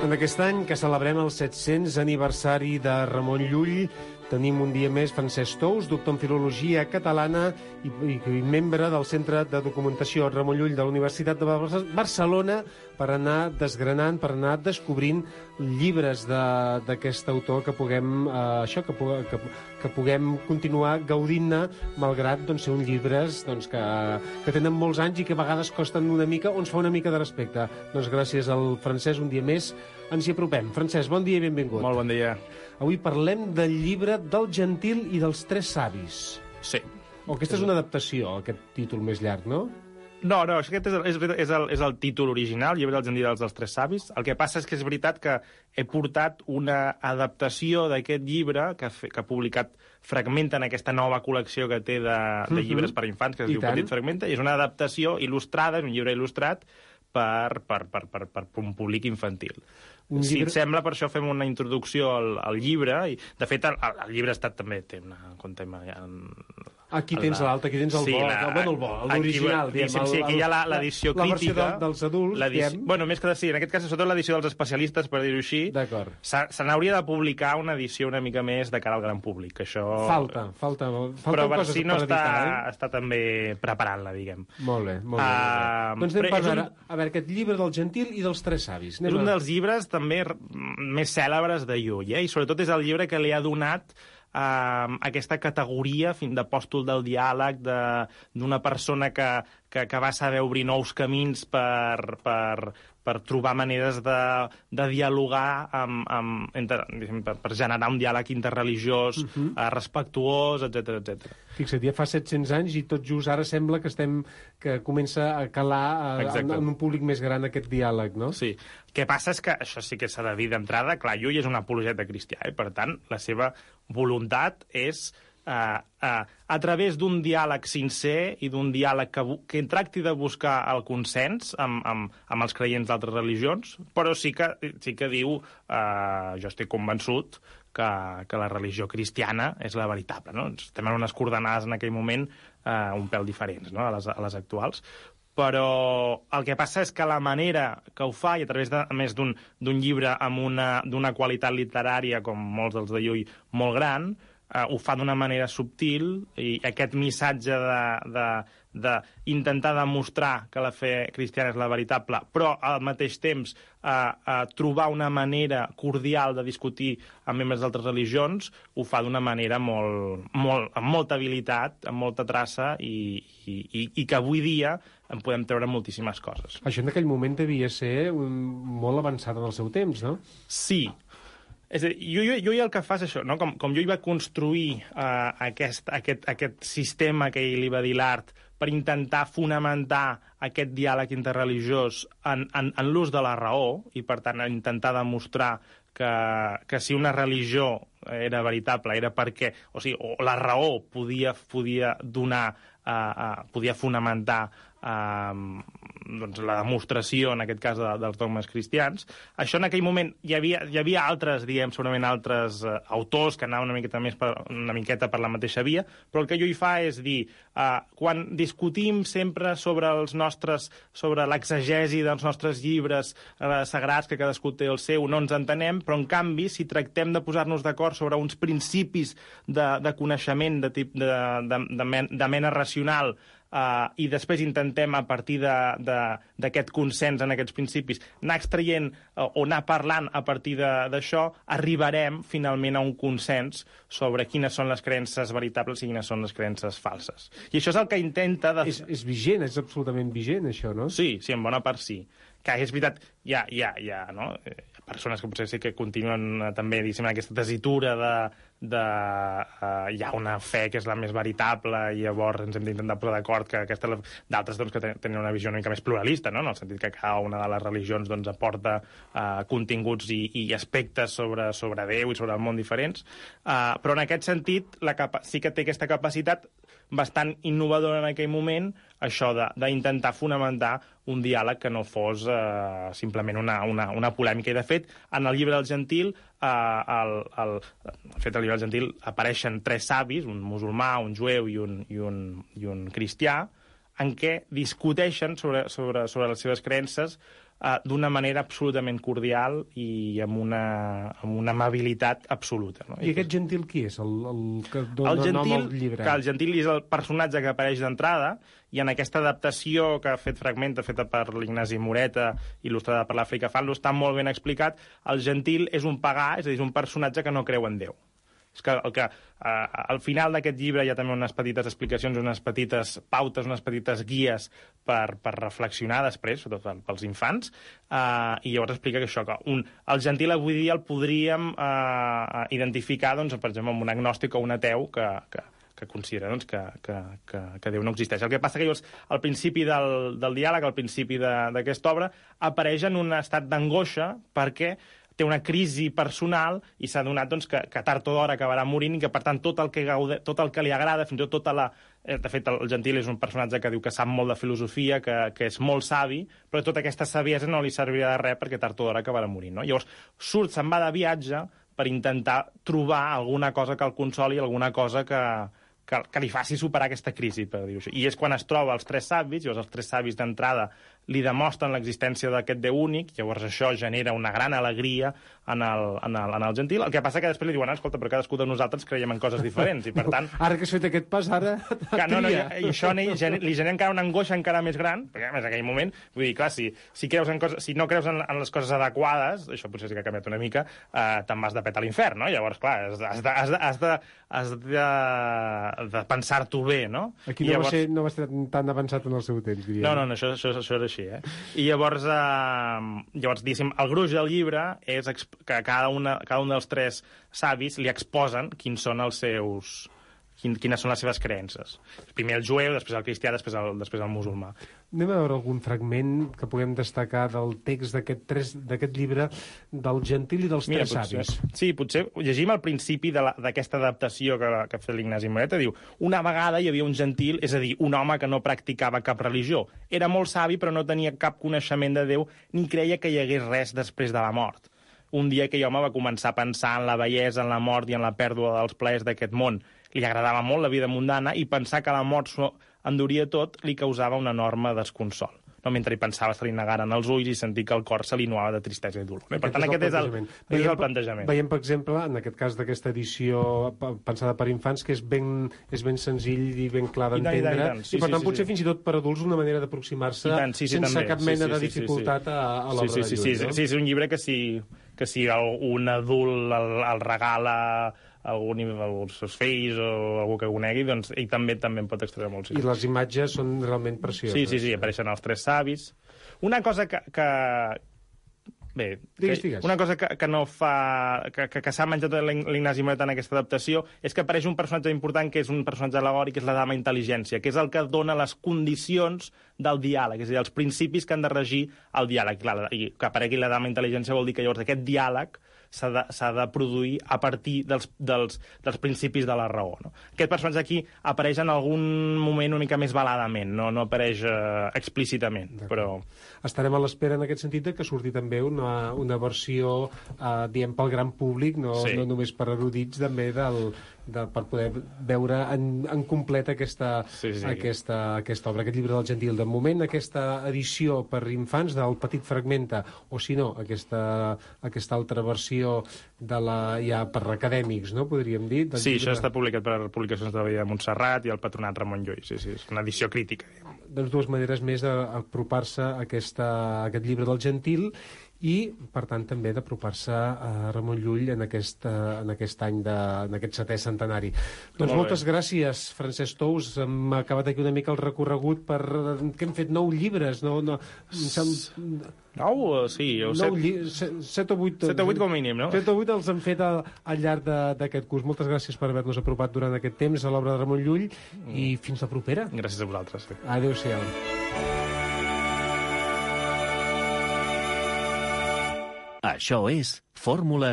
En aquest any que celebrem el 700 aniversari de Ramon Llull, tenim un dia més Francesc Tous, doctor en Filologia Catalana i membre del Centre de Documentació Ramon Llull de la Universitat de Barcelona, per anar desgranant, per anar descobrint llibres d'aquest autor que puguem, que puguem continuar gaudint-ne, malgrat ser uns llibres que tenen molts anys i que a vegades costen una mica o ens fa una mica de respecte. Doncs gràcies al Francesc, un dia més ens hi apropem. Francesc, bon dia i benvingut. Molt bon dia. Avui parlem del llibre del Gentil i dels Tres Savis. Sí. Aquesta és una adaptació, aquest títol més llarg, no? No, aquest és el títol original, Llibre del Gentil i dels Tres Savis. El que passa és que és veritat que he portat una adaptació d'aquest llibre que ha publicat Fragmenta en aquesta nova col·lecció que té de llibres per a infants, que es diu Petit Fragmenta, i és una adaptació il·lustrada, és un llibre il·lustrat per un públic infantil. Si et sembla, per això fem una introducció al llibre, i de fet el llibre també té una... Aquí tens l'altre, aquí tens el bo, l'original, diguem. Sí, aquí hi ha l'edició crítica. La versió dels adults, diguem. Bueno, més que sí, en aquest cas, sobretot l'edició dels especialistes, per dir-ho així. D'acord. Se n'hauria de publicar una edició una mica més de cara al gran públic, això... Falta però coses si no per editar, està també preparant-la, diguem. Molt bé. Doncs anem per veure, aquest llibre del Gentil i dels Tres Savis. És un dels llibres també més cèlebres de Llull, i sobretot és el llibre que li ha donat aquesta categoria d'apòstol del diàleg, d'una persona que va saber obrir nous camins per trobar maneres de dialogar per generar un diàleg interreligiós, respectuós, etc. Fixa't, ja fa 700 anys i tot just ara sembla que comença a calar en un públic més gran aquest diàleg, no? Sí. El que passa és que, això sí que s'ha de dir d'entrada, clar, Llull és un apologeta cristià, i per tant la seva voluntat és a través d'un diàleg sincer i d'un diàleg que tracti de buscar el consens amb els creients d'altres religions, però sí que diu, jo estic convençut que la religió cristiana és la veritable, no? Estem en unes coordenades en aquell moment un pèl diferents, no?, a les actuals. Però el que passa és que la manera que ho fa, i a través a més d'un llibre amb d'una qualitat literària, com molts dels de Llull, molt gran, ho fa d'una manera subtil, i aquest missatge d'intentar demostrar que la fe cristiana és la veritable, però al mateix temps trobar una manera cordial de discutir amb membres d'altres religions, ho fa d'una manera amb molta habilitat, amb molta traça, i que avui dia en podem treure moltíssimes coses. Això en aquell moment devia ser molt avançat en el seu temps, no? Sí. És a dir, Llull el que fa és això, no? Com Llull va construir aquest sistema que ell li va dir l'art per intentar fonamentar aquest diàleg interreligiós en l'ús de la raó, i per tant intentar demostrar que si una religió era veritable era perquè, o la raó podia donar, podia fonamentar la demostració, en aquest cas, dels dogmes cristians. Això en aquell moment hi havia altres, segurament altres autors que anaven una miqueta per la mateixa via, però el que Llull fa és dir, quan discutim sempre sobre l'exegesi dels nostres llibres sagrats, que cadascú té el seu, no ens entenem, però en canvi, si tractem de posar-nos d'acord sobre uns principis de coneixement de mena racional, i després intentem, a partir d'aquest consens en aquests principis, anar extraient o anar parlant a partir d'això, arribarem finalment a un consens sobre quines són les creences veritables i quines són les creences falses. I això és el que intenta... És vigent, és absolutament vigent, això, no? Sí, en bona part sí. Que és veritat, hi ha persones que potser sí que continuen també, diguéssim, en aquesta tessitura hi ha una fe que és la més veritable i llavors ens hem d'intentar posar d'acord que aquesta... D'altres que tenen una visió una mica més pluralista, no? En el sentit que cada una de les religions aporta continguts i aspectes sobre Déu i sobre el món diferents, però en aquest sentit sí que té aquesta capacitat bastant innovadora en aquell moment, això d'intentar fonamentar un diàleg que no fos simplement una polèmica. I, de fet, en el llibre del Gentil, al llibre del Gentil apareixen tres savis, un musulmà, un jueu i un cristià, en què discuteixen sobre les seves creences d'una manera absolutament cordial i amb una amabilitat absoluta. No? I aquest Gentil qui és? El que dona nom al llibre? El Gentil és el personatge que apareix d'entrada, i en aquesta adaptació que ha fet Fragmenta, feta per l'Ignasi Moreta, il·lustrada per l'Àfrica Fanlo, està molt ben explicat. El Gentil és un pagà, és a dir, és un personatge que no creu en Déu. És que al final d'aquest llibre hi ha també unes petites explicacions, unes petites pautes, unes petites guies per reflexionar després, sobretot pels infants, i llavors explica que això, que el Gentil avui dia el podríem identificar, doncs, per exemple, amb un agnòstic o un ateu que considera doncs, que Déu no existeix. El que passa que llavors, al principi del diàleg, al principi d'aquesta obra, apareix en un estat d'angoixa perquè té una crisi personal i s'ha adonat doncs, que tard o d'hora acabarà morint i que, per tant, tot el que li agrada, fins i tot De fet, el Gentil és un personatge que diu que sap molt de filosofia, que és molt savi, però tota aquesta saviesa no li servirà de res perquè tard o d'hora acabarà morint. No? Llavors, se'n va de viatge per intentar trobar alguna cosa que el consoli, alguna cosa que li faci superar aquesta crisi, per dir-ho així. I és quan es troba els tres savis, llavors els tres savis d'entrada li demostren l'existència d'aquest Déu únic, llavors això genera una gran alegria en el Gentil. El que passa que després li diuen, escolta, però cadascú de nosaltres creiem en coses diferents, i per tant... Ara que has fet aquest pas, ara tria. I això li genera encara una angoixa encara més gran, perquè a més en aquell moment, vull dir, clar, si no creus en les coses adequades, això potser sí que ha canviat una mica, te'n vas de pet a l'infern, no? Llavors, clar, has de pensar-t'ho bé, no? Aquí no va ser tan avançat en el seu temps, diria. No, això era així, eh? I llavors, diguéssim, el gruix del llibre és que cada un dels tres savis li exposen quines són les seves creences. Primer el jueu, després el cristià, després el musulmà. Anem a veure algun fragment que puguem destacar del text d'aquest llibre del Gentil i dels tres savis. Sí, potser llegim al principi d'aquesta adaptació que ha fet l'Ignasi Moreta. Diu, una vegada hi havia un gentil, és a dir, un home que no practicava cap religió. Era molt savi, però no tenia cap coneixement de Déu, ni creia que hi hagués res després de la mort. Un dia aquell home va començar a pensar en la bellesa, en la mort i en la pèrdua dels plaers d'aquest món. Li agradava molt la vida mundana i pensar que la mort s'ho enduria tot li causava un enorme desconsol. No, mentre hi pensava se li negaren els ulls i sentir que el cor se li nuava de tristesa i dolor. Per tant, aquest és el plantejament. Veiem, per exemple, en aquest cas d'aquesta edició pensada per infants, que és ben senzill i ben clar d'entendre, i per tant potser fins i tot per adults una manera d'aproximar-se sense cap mena de dificultat a l'obra de Llull. Sí, és un llibre que si un adult el regala als seus fills o algú que ho conegui, doncs ell també en pot extreure molt. I les imatges són realment precioses. Sí, apareixen els tres savis. Una cosa una cosa que no fa... que s'ha menjat l'Ignasi Moreta en aquesta adaptació és que apareix un personatge important, que és un personatge al·legòric, que és la dama intel·ligència, que és el que dona les condicions del diàleg, és a dir, els principis que han de regir el diàleg. Clar, i que aparegui la dama intel·ligència vol dir que llavors aquest diàleg s'ha de produir a partir dels principis de la raó. No? Aquest personatge aquí apareix en algun moment una mica més veladament, no apareix explícitament. Però... Estarem a l'espera en aquest sentit que surti també una versió, diem, pel gran públic, no només per erudits, també per poder veure en complet aquesta obra, aquest llibre del Gentil. De moment, aquesta edició per infants del Petit Fragmenta, o si no, aquesta altra versió ja per acadèmics, no? Podríem dir. Sí, això està publicat per Publicacions de la Vida de Montserrat i el Patronat Ramon Llull. Sí, és una edició crítica. Doncs dues maneres més d'apropar-se a aquest llibre del Gentil i, per tant, també d'apropar-se a Ramon Llull en aquest any, en aquest 7è centenari. Doncs moltes gràcies, Francesc Tous. Hem acabat aquí una mica el recorregut que hem fet 9 llibres. 9? Sí. 7 o 8. 7 o 8 com a mínim, no? 7 o 8 els hem fet al llarg d'aquest curs. Moltes gràcies per haver-nos apropat durant aquest temps a l'obra de Ramon Llull i fins la propera. Gràcies a vosaltres. Adéu-siau. Això és Fórmules